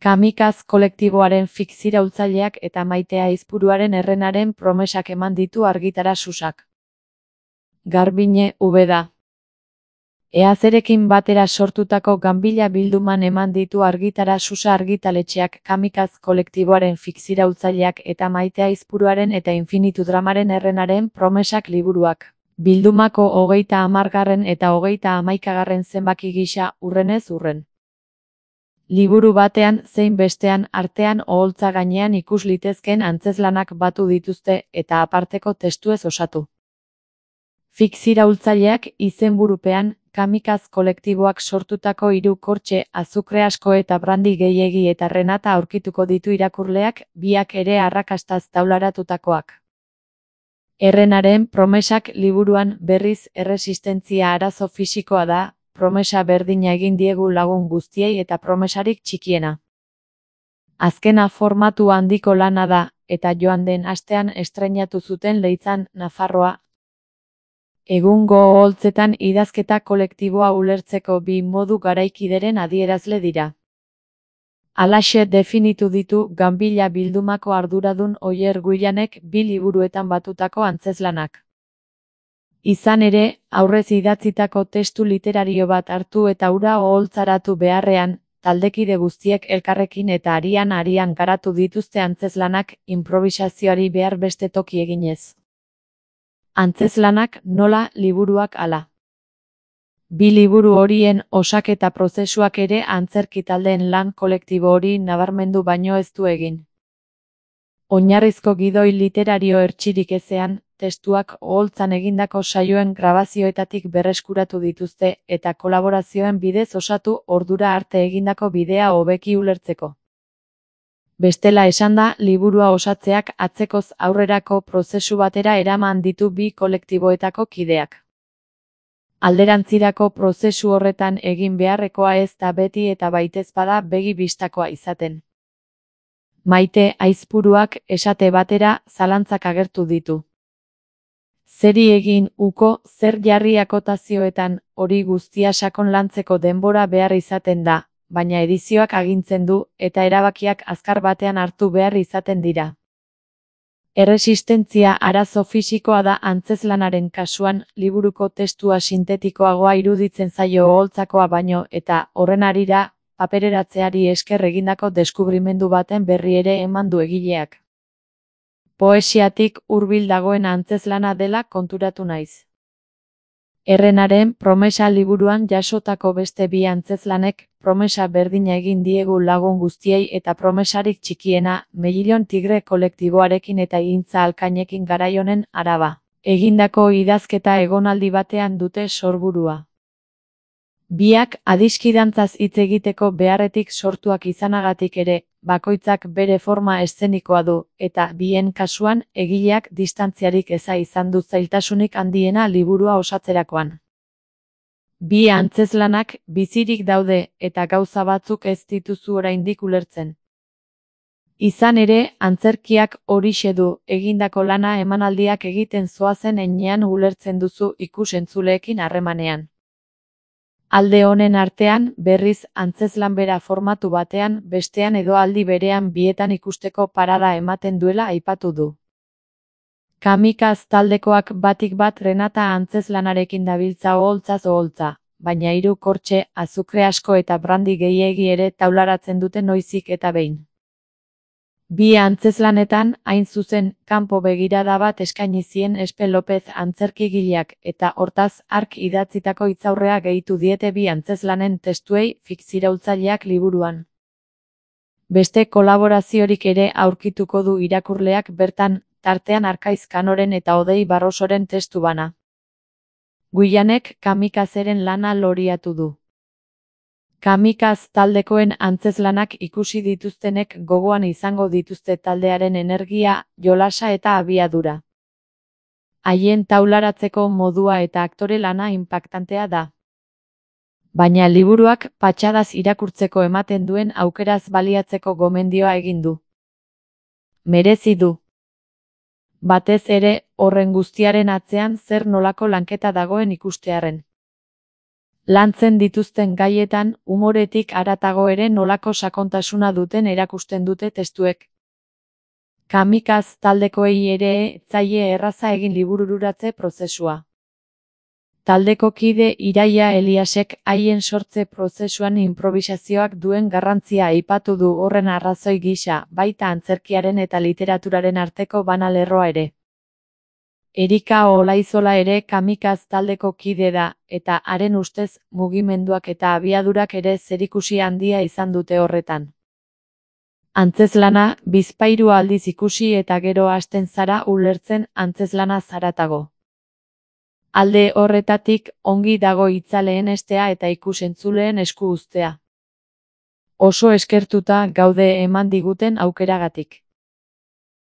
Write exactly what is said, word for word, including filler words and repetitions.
Kamikaz kolektiboaren fikziraultzaileak eta Maite Aizpuruaren Errenaren promesak eman ditu argitara Susak. Garbiñe, Ubeda. Eazerekin batera sortutako ganbila bilduman eman ditu argitara Susa argitaletxeak Kamikaz kolektiboaren fikziraultzaileak eta Maite Aizpuruaren eta Infinitu Dramaren Errenaren promesak liburuak. Bildumako hogeita hamargarren eta hogeita hamaikagarren zenbaki gisa urrenez urren. Liburu batean zein bestean artean oholtza gainean ikus litezkeen antzezlanak batu dituzte eta aparteko testuez osatu. Fikziraultzaileak izenburupean Kamikaz kolektiboak sortutako hiru kortxe, azukre asko eta brandi gehiegi eta Renata aurkituko ditu irakurleak, biak ere arrakastaz taularatutakoak. Errenaren promesak liburuan berriz erresistentzia arazo fisikoa da, promesa berdina egin diegu lagun guztiei eta promesarik txikiena. Azkena formatu handiko lana da, eta joan den astean estreinatu zuten Leitzan, Nafarroa. Egungo oholtzetan idazketa kolektiboa ulertzeko bi modu garaikideren adierazle dira. Halaxe definitu ditu ganbila bildumako arduradun Oier Guillanek bi liburuetan batutako antzezlanak. Izan ere, aurrez idatzitako testu literario bat hartu eta hura oholtzaratu beharrean, taldekide guztiek elkarrekin eta arian-arian garatu dituzte antzezlanak inprobisazioari behar beste toki eginez. Antzezlanak nola, liburuak hala. Bi liburu horien osaketa prozesuak ere antzerki taldeen lan kolektibo hori nabarmendu baino ez du egin. Oinarrizko gidoi literario hertsirik ezean, testuak oholtzan egindako saioen grabazioetatik berreskuratu dituzte eta kolaborazioen bidez osatu ordura arte egindako bidea hobeki ulertzeko. Bestela esanda, liburua osatzeak atzekoz aurrerako prozesu batera eraman ditu bi kolektiboetako kideak. Alderantzirako prozesu horretan egin beharrekoa ez da beti eta baitezpada begi bistakoa izaten. Maite Aizpuruak esate batera zalantzak agertu ditu. Zeri egin uko, zer jarri akotazioetan, hori guztia sakon lantzeko denbora behar izaten da, baina edizioak agintzen du eta erabakiak azkar batean hartu behar izaten dira. Erresistentzia arazo fisikoa da antzezlanaren kasuan, liburuko testua sintetikoagoa iruditzen zaio oholtzakoa baino eta horren harira, papereratzeari esker egindako deskubrimendu baten berri ere eman du egileak. Poesiatik hurbil dagoen antzezlana dela konturatu naiz. Errenaren promesa liburuan jasotako beste bi antzezlanek, promesa berdina egin diegu lagun guztiei eta promesarik txikiena, Mellillon Tigre kolektiboarekin eta Igintza Alkainekin garaionen araba. Egindako idazketa egonaldi batean dute sorburua. Biak adiskidantzaz hitz egiteko beharretik sortuak izanagatik ere, bakoitzak bere forma eszenikoa du, eta bien kasuan egileak distantziarik eza izan du zailtasunik handiena liburua osatzerakoan. Bi antzezlanak bizirik daude eta gauza batzuk ez dituzu oraindik ulertzen. Izan ere, antzerkiak horixe du, egindako lana emanaldiak egiten zoazen heinean ulertzen duzu ikus-entzuleekin harremanean. Alde honen artean, berriz, antzezlan bera formatu batean, bestean edo aldi berean bietan ikusteko parada ematen duela aipatu du. Kamikaz taldekoak batik bat Renata antzezlanarekin dabiltza oholtzaz oholtza, baina hiru kortxe, azukre asko eta brandi gehiegi ere taularatzen dute noizik eta behin. Bi antzezlanetan, hain zuzen, kanpo begirada bat eskaini zien Espe Lopez antzerkigileak eta hortaz hark idatzitako hitzaurrea gehitu diete bi antzezlanen testuei fikziraultzaileak liburuan. Beste kolaboraziorik ere aurkituko du irakurleak bertan, tartean Arkaiz Kanoren eta Odei Barrosoren testu bana. Guillanek Kamikazeren lana loriatu du. Kamikaz taldekoen antzezlanak ikusi dituztenek gogoan izango dituzte taldearen energia, jolasa eta abiadura. Haien taularatzeko modua eta aktore lana inpaktantea da. Baina liburuak patxadaz irakurtzeko ematen duen aukeraz baliatzeko gomendioa egin du. Merezi du. Batez ere, horren guztiaren atzean zer nolako lanketa dagoen ikustearren. Lantzen dituzten gaietan, umoretik haratago ere nolako sakontasuna duten erakusten dute testuek. Kamikaz taldekoei ere ez zaie erraza egin libururatze prozesua. Taldeko kide Iraia Eliasek haien sortze prozesuan inprobisazioak duen garrantzia aipatu du horren arrazoi gisa, baita antzerkiaren eta literaturaren arteko banalerroa ere. Erika Olaizola ere Kamikaz taldeko kide da, eta haren ustez mugimenduak eta abiadurak ere zerikusi handia izan dute horretan. Antzezlana, bizpahiru aldiz ikusi eta gero hasten zara ulertzen antzezlana zaratago. Alde horretatik, ongi dago itzaleen estea eta ikusentzuleen esku uztea. Oso eskertuta gaude eman diguten aukeragatik.